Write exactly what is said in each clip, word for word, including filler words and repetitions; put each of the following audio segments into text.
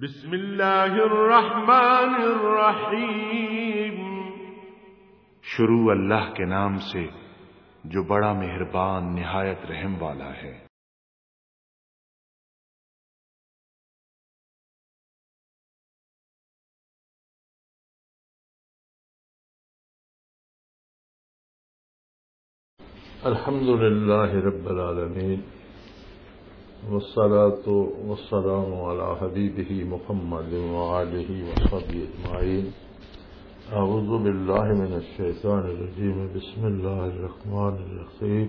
بسم اللہ الرحمن الرحیم۔ شروع اللہ کے نام سے جو بڑا مہربان نہایت رحم والا ہے۔ الحمد لله رب العالمين، والصلاة والسلام على حبيبه محمد وآله وصحبه أجمعين. أعوذ بالله من الشيطان الرجيم. بسم الله الرحمن الرحيم.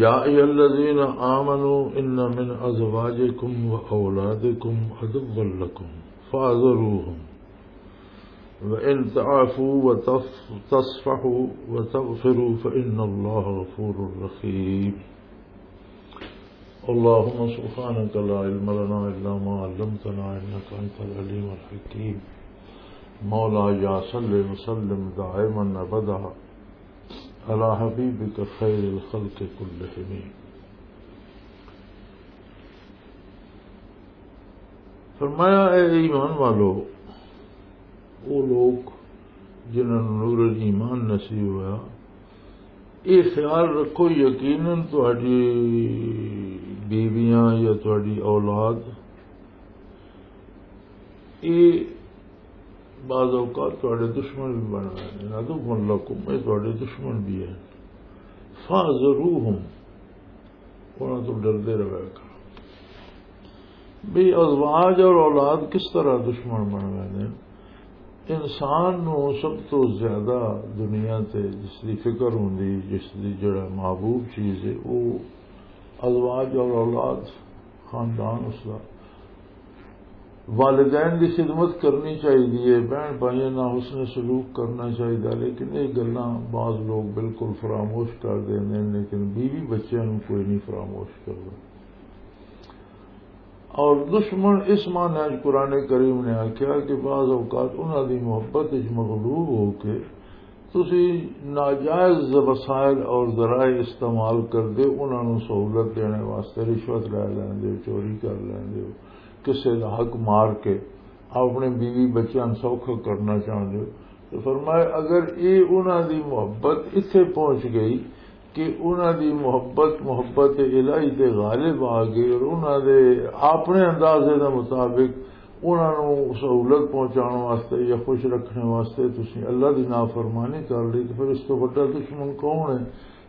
يا أيها الذين آمنوا إن من أزواجكم وأولادكم عدوا لكم فاحذروهم وإن تعفوا وتصفحوا وتغفروا فإن الله غفور رحيم. اللهم سبحانك لا علم لنا إلا ما علمتنا إنك أنت العليم الحكيم. مولاي صل وسلم دائما أبدا على حبيبك خير الخلق كلهم. فرمایا، اے ایمان والو، وہ لوگ جنہاں نوں نور ایمان نصیب ہویا، یہ خیال رکھو، یقیناً تہاڈی بیویاں یا تہاڈی اولاد، یہ بعض اوقات تہاڈے دشمن بھی بن گئے ہیں۔ عدو لکم، یہ تہاڈے دشمن بھی ہیں۔ فاحذروہم، انہاں تو ڈردے رہا کرو۔ بھی ازواج اور اولاد کس طرح دشمن بن گئے ہیں؟ انسان نو سب تو زیادہ دنیا تے جس دی فکر ہوندی، جس دی جڑا محبوب چیز ہے، وہ ازواج اور اولاد، خاندان اس دا۔ والدین دی خدمت کرنی چاہیے، بہن بھائیاں نال حسن سلوک کرنا چاہیے، لیکن یہ گلاں بعض لوگ بالکل فراموش کر دیندے نے۔ لیکن بیوی بچیاں نوں کوئی نہیں فراموش کردا۔ اور دشمن اس معنی وچ قرآن کریم نے آکھیا کہ بعض اوقات انہاں دی محبت وچ مغلوب ہو کے تسی ناجائز وسائل اور ذرائع استعمال کردے، انہاں نوں سہولت دینے واسطے رشوت لے لیندے ہو، چوری کر لیندے ہو، کسے دا حق مار کے اپنے بیوی بچیاں نوں سوکھا کرنا چاہندے ہو۔ تو فرمایا، اگر یہ انہاں دی محبت اتھے پہنچ گئی کہ انہاں دی محبت، محبت الہی تے غالب آ گئی اور انہاں دے اپنے اندازے دے مطابق انہاں نوں سہولت پہنچاؤن واسطے یا خوش رکھنے واسطے تسی اللہ دی نافرمانی کر لئی، تو پھر اس تو بڑا دشمن کون ہے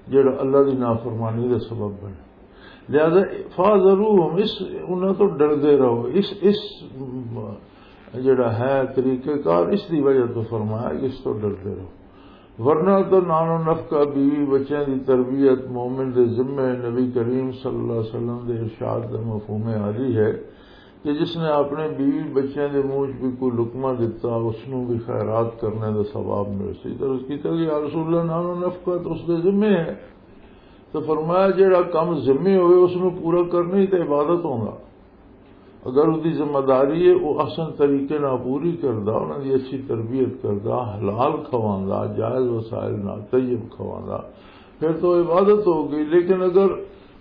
جڑا اللہ دی نافرمانی دا سبب بنے؟ لہذا فاحذروہم، اس، انہاں تو ڈردے رہو۔ اس، اس جڑا ہے طریقہ کار، اس دی وجہ تو فرمایا کہ اس تو ڈردے رہو۔ ورنہ تو نانو نفقہ، بیوی بچیاں دی تربیت، مومن دے ذمے، نبی کریم صلی اللہ علیہ وسلم دے ارشاد دا مفہوم عالی ہے کہ جس نے اپنے بیوی بچیاں دے منہ وچ بھی کوئی لقمہ دتا، اس نوں بھی خیرات کرنے دا ثواب مل سی۔ تو اس کیتا کہ یا رسول اللہ، نانو نفقہ تو اس دے ذمے ہے۔ تو فرمایا، جڑا کم ذمے ہوئے، اس نوں پورا کرنا ہی تے عبادت ہوندا۔ اگر اس دی ذمہ داری ہے، وہ احسن طریقے نال پوری کردا، انہاں دی اچھی تربیت کردا، حلال کھواندا، جائز وسائل نال طیب کھواندا، پھر تو عبادت ہو گئی۔ لیکن اگر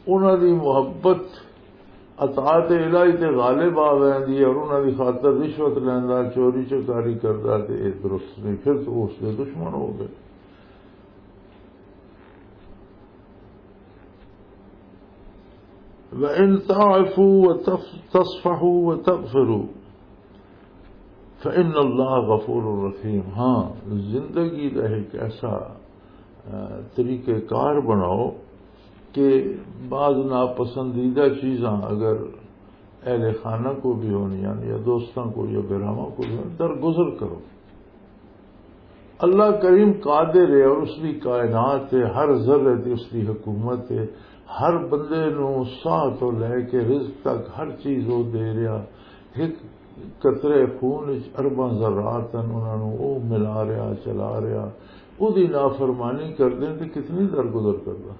انہاں دی محبت اطاعت الہی تے غالب آ ویندی ہے اور انہاں دی خاطر رشوت لیندا، چوری چکاری کردا، تے یہ درست نہیں، پھر تو اس دے دشمن ہو گئے۔ وَإِن تَعْفُوا وَتَصْفَحُوا وَتَغْفِرُوا فَإِنَّ اللَّهَ غَفُورٌ رَّحِيمٌ۔ ہاں، زندگی دا ایک ایسا، آ، طریقہ کار بناؤ کہ بعض ناپسندیدہ چیزاں اگر اہل خانہ کو بھی ہونی ہیں یا دوستاں کو یا براواں کو بھی ہونی، درگزر کرو۔ اللہ کریم قادر ہے اور اس دی کائنات ہے، ہر ذرے تے اس دی حکومت ہے۔ ہر بندے نوں ساہ تو لے کے رزق تک ہر چیز وہ دے رہا۔ ایک قطرے خون وچ ارباں ذرات ہیں، انہاں نوں وہ ملا رہا، چلا رہا۔ وہ دی نافرمانی کر دیں تے کتنی درگزر کردا۔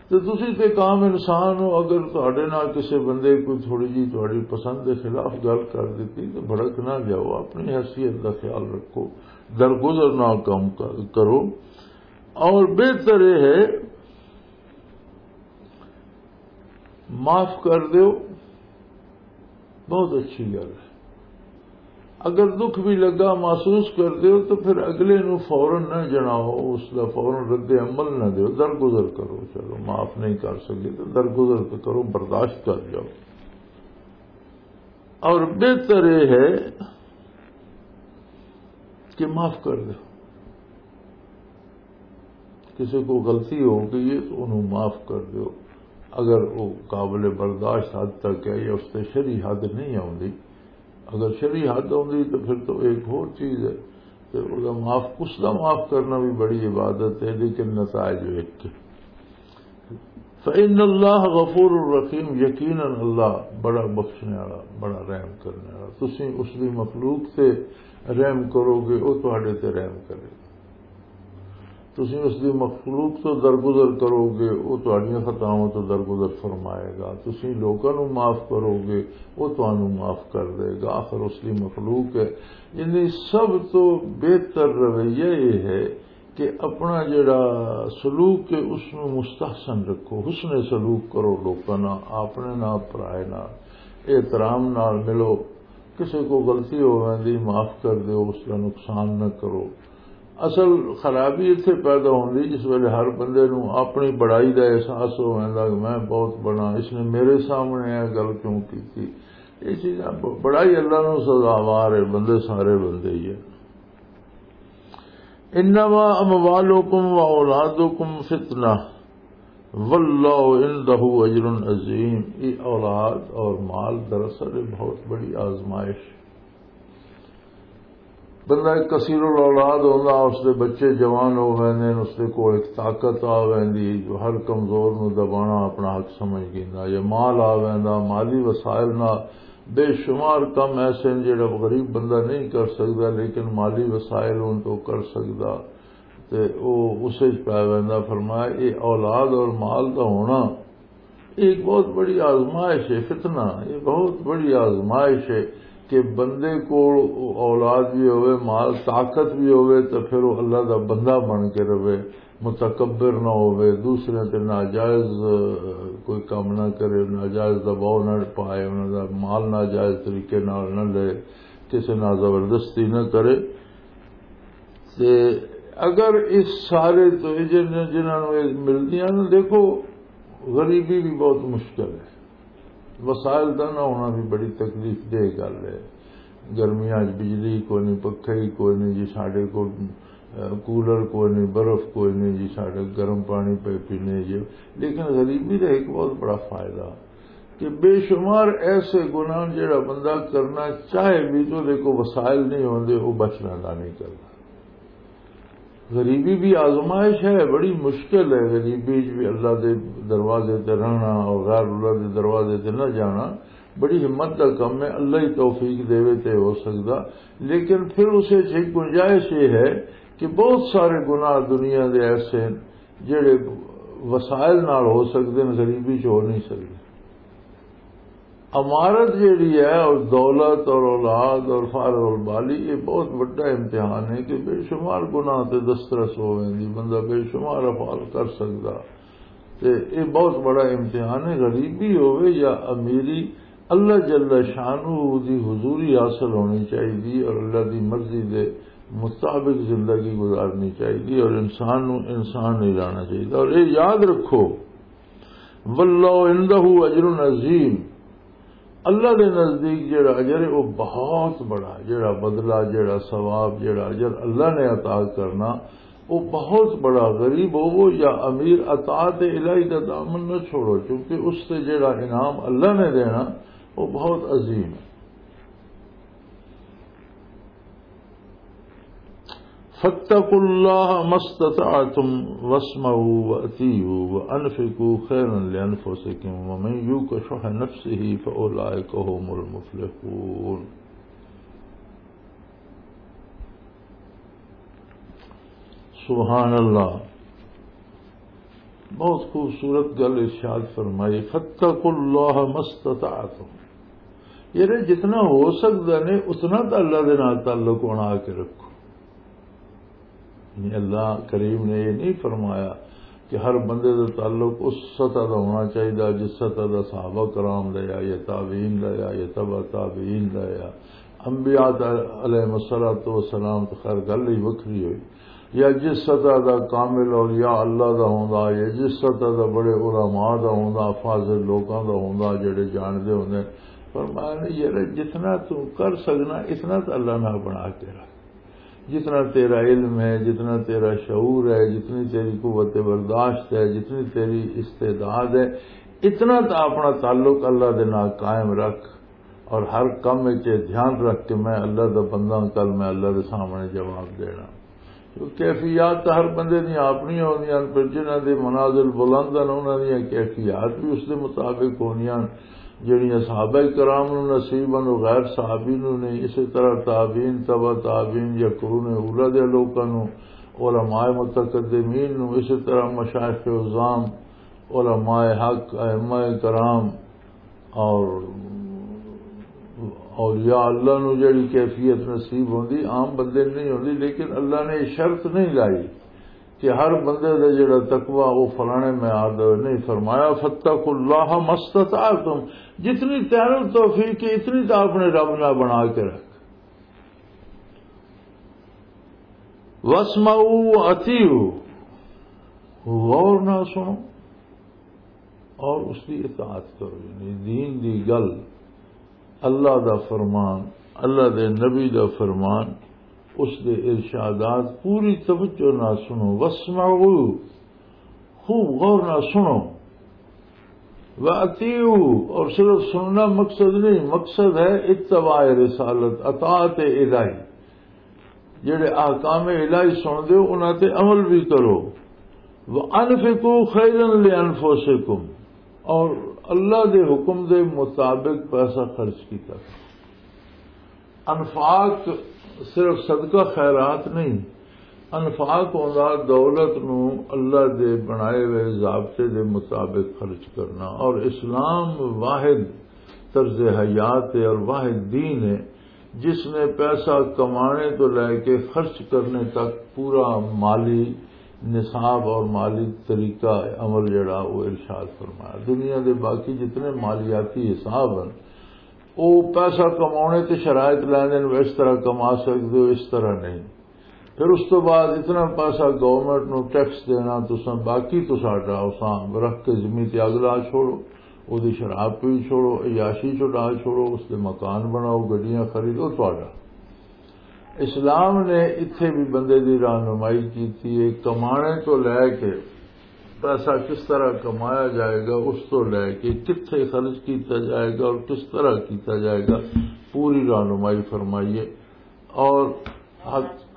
تے تسی تے ایک عام انسان ہو، اگر تہاڈے نال کسے بندے کوئی تھوڑی جی تہاڈی پسند دے خلاف گل کر دتی تے بھڑک نہ جاؤ، اپنی حیثیت دا خیال رکھو، درگزر نہ کم ک-، کرو۔ اور بہتر یہ ہے معاف کر دیو۔ بہت اچھی گل ہے۔ اگر دکھ بھی لگا، محسوس کر دیو، تو پھر اگلے نو فوراً نہ جناؤ، اس دا فوراً رد عمل نہ دیو، درگزر کرو۔ چلو، معاف نہیں کر سکے تو درگزر تو کرو، برداشت کر جاؤ۔ اور بہتر یہ ہے کہ معاف کر دو۔ کسی کو غلطی ہو گئی ہے تو انہوں معاف کر دو۔ اگر وہ قابل برداشت حد تک ہے یا اس سے شری حد نہیں آتی، اگر شری حد آتی تو پھر تو ایک اور چیز ہے۔ تو اس دا معاف، اس دا معاف کرنا بھی بڑی عبادت ہے، لیکن نتائج ایک۔ فإن اللہ غفور الرحیم، یقیناً اللہ بڑا بخشنے والا، بڑا رحم کرنے والا۔ تسی اس دی مخلوق تے رحم کرو گے، وہ تہاڈے تے رحم کرے گا۔ تسی اس دی مخلوق تو درگزر کرو گے، وہ تہاڈیاں خطاواں تو درگزر فرمائے گا۔ تسی لوکاں نو معاف کرو گے، وہ تانوں معاف کر دے گا۔ آخر اس دی مخلوق ہے۔ یعنی سب تو بہتر رویہ یہ ہے کہ اپنا جڑا سلوک ہے، اس نو مستحسن رکھو، حسن سلوک کرو لوکاں نال، اپنے نال، پرائے نال، احترام نال ملو۔ کسے کو غلطی ہو ویندی، معاف کر دیو، اس دا نقصان نہ کرو۔ اصل خرابی اتھے پیدا ہوندی جس ویلے ہر بندے نو اپنی بڑائی دا احساس ہو ویندا کہ میں بہت بڑا، اس نے میرے سامنے یہ گل کیوں کیتی؟ یہ چیزاں ب-، بڑائی اللہ نو سزاوار ہے، بندے سارے بندے ہی ہیں۔ انما اموالکم و اولادکم فتنہ واللہ عندہ اجر عظیم۔ یہ اولاد اور مال دراصل ایک بہت بڑی آزمائش۔ بندہ ایک کثیر الاولاد ہوندا، اس دے بچے جوان ہو ویندے نے، اس دے کول ایک طاقت آ ویندی جو ہر کمزور نو دبانا اپنا حق سمجھ گیندا۔ یہ مال آ ویندا، مالی وسائل نال بے شمار کم ایسے ہیں جڑا غریب بندہ نہیں کر سکدا، لیکن مالی وسائل ہون تو کر سکدا۔ تے او اس وچ پی ویندا۔ فرمایا، یہ اولاد اور مال دا ہونا، یہ ایک بہت بڑی آزمائش ہے، فتنہ، یہ بہت بڑی آزمائش ہے کہ بندے کو اولاد بھی ہوئے، مال، طاقت بھی ہوئے، تو پھر وہ اللہ دا بندہ بن کے رہے، متکبر نہ ہوئے، دوسرے تے ناجائز، آ، کوئی کام نہ کرے، ناجائز دباؤ نہ پائے، انہاں دا مال ناجائز طریقے نال نہ لے، کسے نال زبردستی نہ کرے۔ تے اگر اس سارے تو یہ جن-، جنہاں نوں یہ ملدیاں نے، دیکھو، غریبی بھی بہت مشکل ہے، وسائل دا نہ ہونا بھی بڑی تکلیف دہ گل ہے۔ گرمیاں وچ بجلی کوئی نہیں، پکھے ہی کوئی نہیں جی ساڈے کول، اے، کولر کوئی نہیں، برف کوئی نہیں جی ساڈے، گرم پانی پے پینے جی۔ لیکن غریبی دا ایک بہت بڑا فائدہ کہ بے شمار ایسے گناہ جڑا بندہ کرنا چاہے بھی تو دے کو وسائل نہیں ہوندے، وہ بچ لیندا نہیں کردا۔ غریبی بھی آزمائش ہے، بڑی مشکل ہے غریبی وچ بھی اللہ دے دروازے تے رہنا اور غیر اللہ دے دروازے تے نہ جانا۔ بڑی ہمت دا کم ہے، اللہ ہی توفیق دے تے ہو سکدا۔ لیکن پھر اسے چ ایک گنجائش یہ ہے کہ بہت سارے گناہ دنیا دے ایسے ہیں جڑے وسائل نال ہو سکدے ہیں، غریبی چ ہو نہیں سکدے۔ امارت جیڑی ہے، اور دولت اور اولاد اور فارغ البالی، یہ بہت بڑا امتحان ہے کہ بے شمار گناہ تے دسترس ہو ویندی، بندہ بے شمار افعال کر سکدا۔ تے یہ بہت بڑا امتحان ہے، غریبی ہوئے یا امیری، اللہ جل شانہ دی حضوری حاصل ہونی چاہیے اور اللہ دی مرضی دے مطابق زندگی گزارنی چاہیے اور انسان نو انسان نہیں رہنا چاہیے۔ اور یہ یاد رکھو، واللہ عندہ اجر عظیم، اللہ دے نزدیک جڑا اجر ہے وہ بہت بڑا، جڑا بدلہ، جڑا ثواب، جڑا اجر اللہ نے عطا کرنا، وہ بہت بڑا۔ غریب ہوو یا امیر، اطاعت الہی دا دامن نہ چھوڑو، کیونکہ اس سے جڑا انعام اللہ نے دینا، وہ بہت عظیم ہے۔ فاتقوا الله ما استطعتم واسمعوا وأطيعوا وأنفقوا خيرا لأنفسكم ومن يوق شح نفسه فأولئك هم المفلحون۔ سبحان اللہ۔ بہت خوبصورت گل ارشاد فرمائی، فاتقوا اللہ ما استطعتم، یعنی جتنا ہو سکدا نے اتنا تو اللہ دے نال تعلق بنا کے رکھو۔ یعنی اللہ کریم نے یہ نہیں فرمایا کہ ہر بندے دا تعلق اس سطح دا ہونا چاہیے جس سطح دا صحابہ کرام دا یا، یا تابعین دا یا، یا تبع تابعین دا یا، انبیاء علیہ الصلوۃ والسلام۔ تو خیر، گل ہی وکھری ہوئی، یا جس سطح دا کامل اولیاء اللہ دا ہوندا، یا جس سطح دا بڑے علماء دا ہوندا، فاضل لوکاں دا ہوندا، جڑے جاندے ہوندے۔ فرمایا نے، یار، جتنا تو کر سکنا، اتنا تو اللہ نال بنا کے رکھ۔ جتنا تیرا علم ہے، جتنا تیرا شعور ہے، جتنی تیری قوت برداشت ہے، جتنی تیری استعداد ہے، اتنا تو اپنا تعلق اللہ دے نال قائم رکھ، اور ہر کم وچ یہ دھیان رکھ کہ میں اللہ دا بندہ ہاں، کل میں اللہ دے سامنے جواب دینا۔ کیونکہ کیفیات تاں ہر بندے دیاں اپنیاں ہوندیاں ہن، پر جنہاں دے منازل بلند ہن، انہاں دیاں کیفیات بھی اس دے مطابق ہوندیاں ہن۔ جڑیاں صحابہ کرام نوں نصیب ہن، او غیر صحابی نوں نہیں۔ اسی طرح تابعین، تبع تابعین یا قرون اولیٰ دے لوکاں نوں، علماء متقدمین نوں، اسی طرح مشائخ عظام، علماء حق، ائمہ کرام، اور اولیاء اللہ نو جڑی کیفیت نصیب ہوندی، عام بندے نوں نہیں ہوندی۔ لیکن اللہ نے یہ شرط نہیں لائی کہ ہر بندے دا جڑا تقوی او فلانے معیار دا ہوئے۔ نہیں، فرمایا، "فاتقوا اللہ ما استطعتم"، جتنی تینوں توفیق ہے، اتنی تو اپنے رب نال بنا کے رکھ۔ "واسمعوا واطیعوا"، غور نال سنو اور اس دی اطاعت کرو، یعنی دین دی گل، اللہ دا فرمان، اللہ دے نبی دا فرمان، اس دے ارشادات پوری توجہ نال سنو۔ "واسمعوا"، خوب غور نال سنو۔ "واطیعوا"، اور صرف سننا مقصد نہیں، مقصد ہے اتباع رسالت، اطاعت الہی۔ جڑے احکام الہی سن دے ہو، انہاں تے عمل بھی کرو۔ "وانفقوا خیرا لانفسکم"، اور اللہ دے حکم دے مطابق پیسہ خرچ کیتا۔ انفاق صرف صدقہ خیرات نہیں، انفاق ہوندا دولت نو اللہ دے بنائے ہوئے ضابطے دے مطابق خرچ کرنا۔ اور اسلام واحد طرز حیات ہے اور واحد دین ہے، جس نے پیسہ کمانے تو لے کے خرچ کرنے تک پورا مالی نصاب اور مالی طریقہ عمل جڑا، وہ ارشاد فرمایا۔ دنیا دے باقی جتنے مالیاتی حساب ہیں، وہ پیسہ کمانے تے شرائط لیندے نے، اس طرح کما سکتے ہو، اس طرح نہیں۔ پھر اس تو بعد اتنا پیسہ گورنمنٹ نو ٹیکس دینا، تساں باقی تو ساڈا، اساں رکھ کے زمین تے اگ لا چھوڑو، او دی شراب پی چھوڑو، عیاشی چ ڈال چھوڑو، اس دے مکان بناؤ، گڈیاں خریدو، تہاڈا۔ اسلام نے اتھے بھی بندے دی رہنمائی کیتی ہے، کمانے تو لے کے پیسہ کس طرح کمایا جائے گا، اس تو لے کے کتھے خرچ کیتا جائے گا اور کس طرح کیتا جائے گا، پوری رہنمائی فرمائی ہے۔ اور حد-،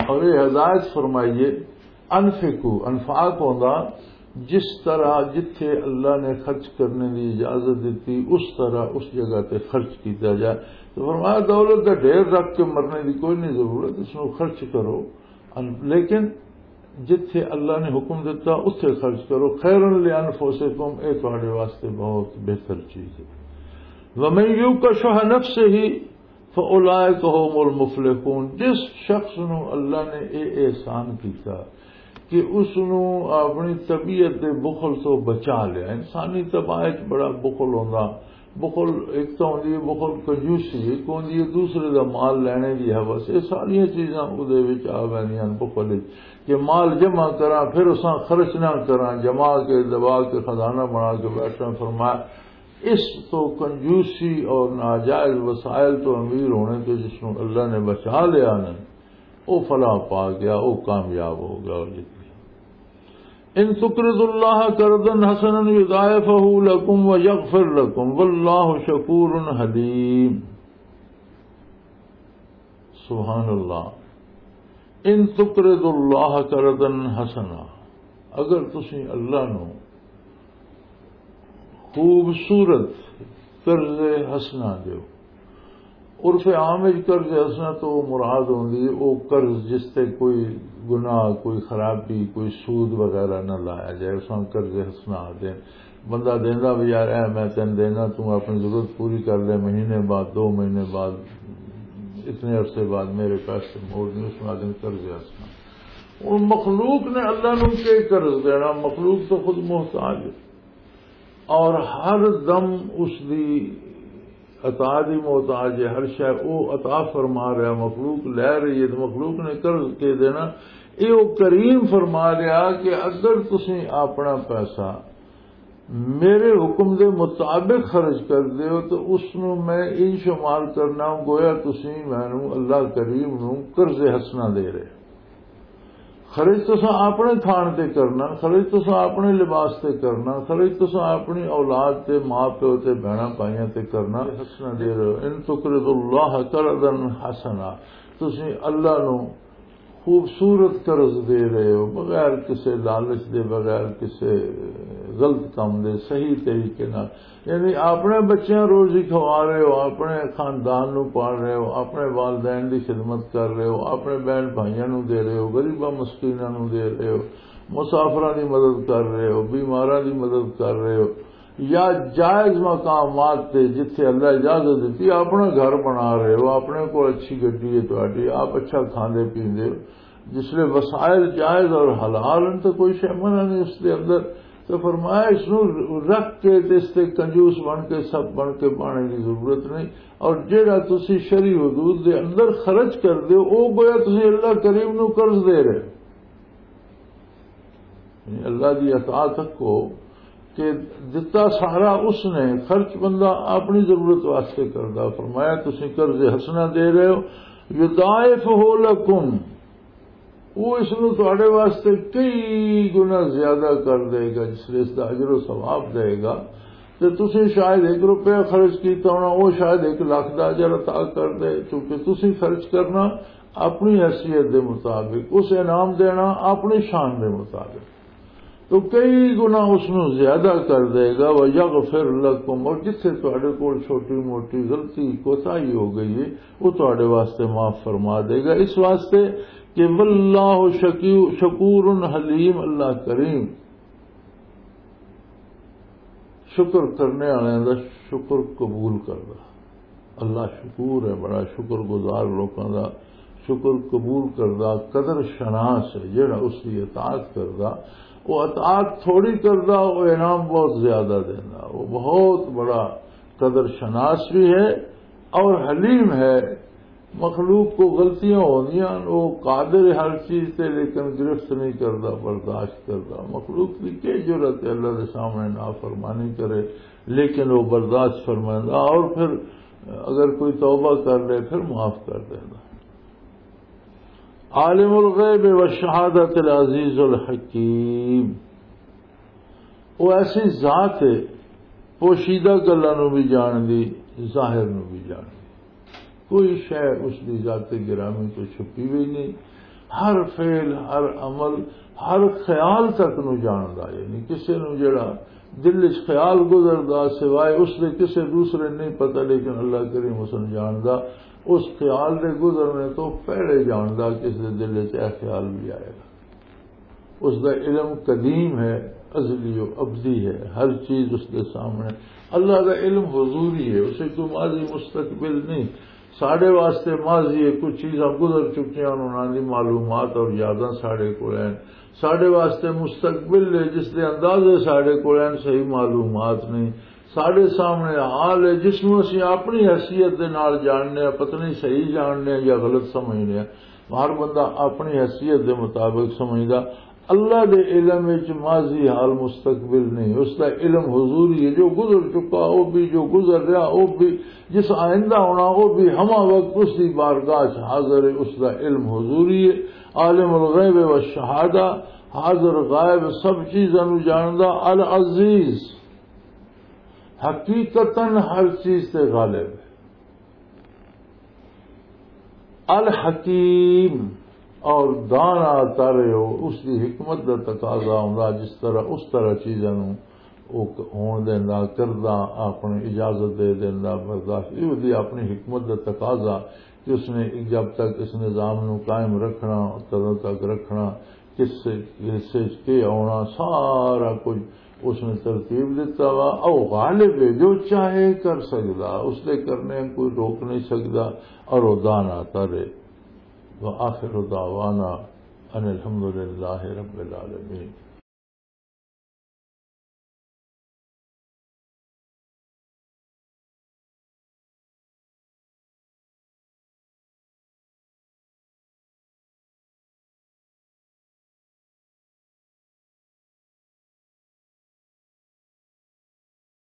اور یہ ہدایت فرمائیے، انفقو، انفاق ہوندا جس طرح جتھے اللہ نے خرچ کرنے دی اجازت دیتی، اس طرح اس جگہ تے خرچ کیتا جائے۔ تو فرمایا، دولت دا ڈھیر رکھ کے مرنے دی کوئی نہیں ضرورت، اس نو خرچ کرو، ان-، لیکن جتھے اللہ نے حکم دیتا، اتھے خرچ کرو۔ خیرا لانفسکم، اے تہاڈے واسطے بہت بہتر چیز ہے۔ ومن یوق شح نفسہ فاولئک هم المفلحون۔ جس شخص نو اللہ نے اے احسان کیتا کہ اس نو اپنی طبیعت دے بخل تو بچا لیا۔ انسانی طباع وچ بڑا بخل ہوندا۔ بخل ایک تو ہوندی ہے بخل کنجوسی، ایک ہوندی ہے دوسرے دا مال لینے دی ہوس۔ یہ ساریاں چیزاں اودے وچ آ ویندیاں ہن بخل وچ، کہ مال جمع کراں، پھر اساں خرچ نہ کراں، جما کے، دبا کے، خزانہ بنا کے بیٹھاں۔ فرمایا، اس تو کنجوسی اور ناجائز وسائل تو امیر ہونے تو جس نو اللہ نے بچا لیا نا، او فلاح پا گیا، او کامیاب ہو گیا، او جیت گیا۔ ان تقرضوا اللہ قرضا حسنا یضاعفہ لکم ویغفر لکم واللہ شکور حلیم۔ سبحان اللہ۔ ان تقرضوا اللہ قرضا حسنا، اگر تسی اللہ نو خوبصورت قرض حسنا دیو۔ عرف عام وچ قرض حسنا تو مراد ہوندی ہے او قرض جس تے کوئی گناہ، کوئی خرابی، کوئی سود وغیرہ نہ لایا جائے، اس نوں قرض حسنا آکھدے۔ بندہ دیندا بھی، "یار، اے میں تینوں دینا، تو اپنی ضرورت پوری کر لے، مہینے بعد، دو مہینے بعد۔" اتنے عرصے بعد میرے پیسے موڑ دیں، اس میں آدمی قرض ہسنا۔ اور مخلوق نے اللہ نو کیا قرض دینا؟ مخلوق تو خود محتاج ہے، اور ہر دم اس دی عطا دی محتاج ہے۔ ہر شے او عطا فرما رہا، مخلوق لے رہی ہے، تو مخلوق نے قرض کے دینا؟ یہ وہ کریم فرما رہا کہ اگر تسی اپنا پیسہ میرے حکم دے مطابق خرچ کر دیو تو اس نو میں ان شمار کرنا، گویا تسی مینوں اللہ کریم نو قرض حسنہ دے رہے۔ خرچ تساں اپنے کھان تے کرنا، خرچ تساں اپنے لباس تے کرنا، خرچ تساں اپنی اولاد تے، ماں پیو تے، بہناں بھائیاں تے کرنا۔ حسنہ دے رہے ہو، ان تقرض اللہ قرضا حسنا، تسی اللہ نو خوبصورت قرض دے رہے ہو، بغیر کسے لالچ دے، بغیر کسے غلط کام دے، صحیح طریقے نال۔ یعنی اپنے بچیاں روزی کھوا رہے ہو، اپنے خاندان نو پال رہے ہو، اپنے والدین دی خدمت کر رہے ہو، اپنے بہن بھائیاں نو دے رہے ہو، غریباں مسکیناں نو دے رہے ہو، مسافراں دی مدد کر رہے ہو، بیماراں دی مدد کر رہے ہو، یا جائز مقامات تے جتھے اللہ اجازت دتی، اپنا گھر بنا رہے ہو، اپنے کول اچھی گڈی ہے تہاڈی، آپ اچھا کھاندے پیندے ہو، جس لئے وسائل جائز اور حلال ہیں تو کوئی شے منع نہیں اس دے اندر۔ تو فرمایا، اس نو رکھ کے تے اس تے کنجوس بن کے، سب بن کے بانے دی ضرورت نہیں۔ اور جیڑا تسی شرعی حدود دے اندر خرچ کر دیو، او گویا تسی اللہ کریم نو قرض دے رہے ہو۔ یعنی اللہ دی عطا تکو کہ دتا سارا اس نے، خرچ بندہ اپنی ضرورت واسطے کردا۔ فرمایا، تسی قرض حسنہ دے رہے ہو، یضاعفہ لکم، وہ اس نو تواڈے واسطے کئی گنا زیادہ کر دے گا، جس لئے اس دا اجر و ثواب دے گا۔ تے تسی شاید ایک روپیہ خرچ کیتا ہونا، وہ شاید ایک لاکھ دا اجر عطا کر دے، کیونکہ تسی خرچ کرنا اپنی حیثیت دے مطابق، اس انعام دینا اپنی شان دے مطابق۔ تو کئی گنا اس نو زیادہ کر دے گا۔ وَيَغْفِرْ لَكُمْ، اور جتھے تواڈے کول چھوٹی موٹی غلطی، کوتاہی ہو گئی ہے، وہ تواڈے واسطے معاف فرما دے گا۔ اس واسطے کہ واللہ شکی-، شکور حلیم، اللہ کریم شکر کرنے والوں دا شکر قبول کردا۔ اللہ شکور ہے، بڑا شکر گزار لوکاں دا شکر قبول کردا، قدر شناس ہے جڑا اس دی اطاعت کردا۔ وہ اطاعت تھوڑی کردا، وہ انعام بہت زیادہ دیندا، وہ بہت بڑا قدر شناس بھی ہے اور حلیم ہے۔ مخلوق کو غلطیاں ہوندیاں، وہ قادر ہے ہر چیز تے، لیکن گرفت نہیں کردا، برداشت کردا۔ مخلوق کی کیا جرأت ہے اللہ دے سامنے نافرمانی کرے، لیکن وہ برداشت فرمائندا، اور پھر اگر کوئی توبہ کر لے، پھر معاف کر دیندا۔ عالم الغیب والشہادت العزیز الحکیم، وہ ایسی ذات ہے، پوشیدہ گلاں نوں بھی جان دی، ظاہر نوں بھی جان دی۔ کوئی شے اس دی ذات گرامی تو چھپی ہوئی نہیں۔ ہر فعل، ہر عمل، ہر خیال تک نوں جاندا، یعنی کسے نوں جڑا دل وچ خیال گزردا، سوائے اس دے کسے دوسرے نہیں پتہ، لیکن اللہ کریم اس نوں جاندا۔ اس خیال دے گزرنے تو پہلے جاندا کہ اس دے دل وچ اے خیال بھی آئے گا۔ اس دا علم قدیم ہے، ازلی و ابدی ہے، ہر چیز اس دے سامنے۔ اللہ دا علم حضوری ہے، اسے کوئی ماضی مستقبل نہیں۔ ساڈے واسطے ماضی ہے، کچھ چیزاں گزر چکیاں، انہاں دی معلومات اور یاداں ساڈے کول ہیں۔ ساڈے واسطے مستقبل ہے، جس دے اندازے ساڈے کول ہیں، صحیح معلومات نہیں۔ ساڈے سامنے حال ہے، جس نوں اسی اپنی حیثیت دے نال جاننے آ، پتہ نہیں صحیح جاننے آ یا غلط سمجھنے آ۔ ہر بندہ اپنی حیثیت دے مطابق سمجھدا۔ اللہ دے علم وچ ماضی، حال، مستقبل نہیں، اس دا علم حضوری ہے۔ جو گزر چکا وہ بھی، جو گزر رہا وہ بھی، جس آئندہ ہونا وہ بھی، ہما وقت اس دی بارگاہ چ حاضر ہے، اس دا علم حضوری ہے۔ عالم الغیب و شہادہ، حاضر غائب سب چیزاں نوں جاندا۔ العزیز، حقیقتاً ہر چیز تے غالب ہے۔ الحکیم، اور دانا تر ہو، اس دی حکمت دا تقاضا ہوندا، جس طرح، اس طرح چیزاں نوں او ک-، ہون دیندا، کردا، اپنی اجازت دے دیندا، برداشت، یہ دی اپنی حکمت دا تقاضا کہ اس نے جب تک اس نظام نوں قائم رکھنا، کدوں تک رکھنا، کس حصے چ کے آنا، سارا کچھ اس نے ترتیب دیتا وا، او غالب ہے، جو چاہے کر سکدا، اس دے کرنے کوئی روک نہیں سکدا، اور وہ دان آتا رہے۔ وآخر دعوانا ان الحمدللہ رب العالمین۔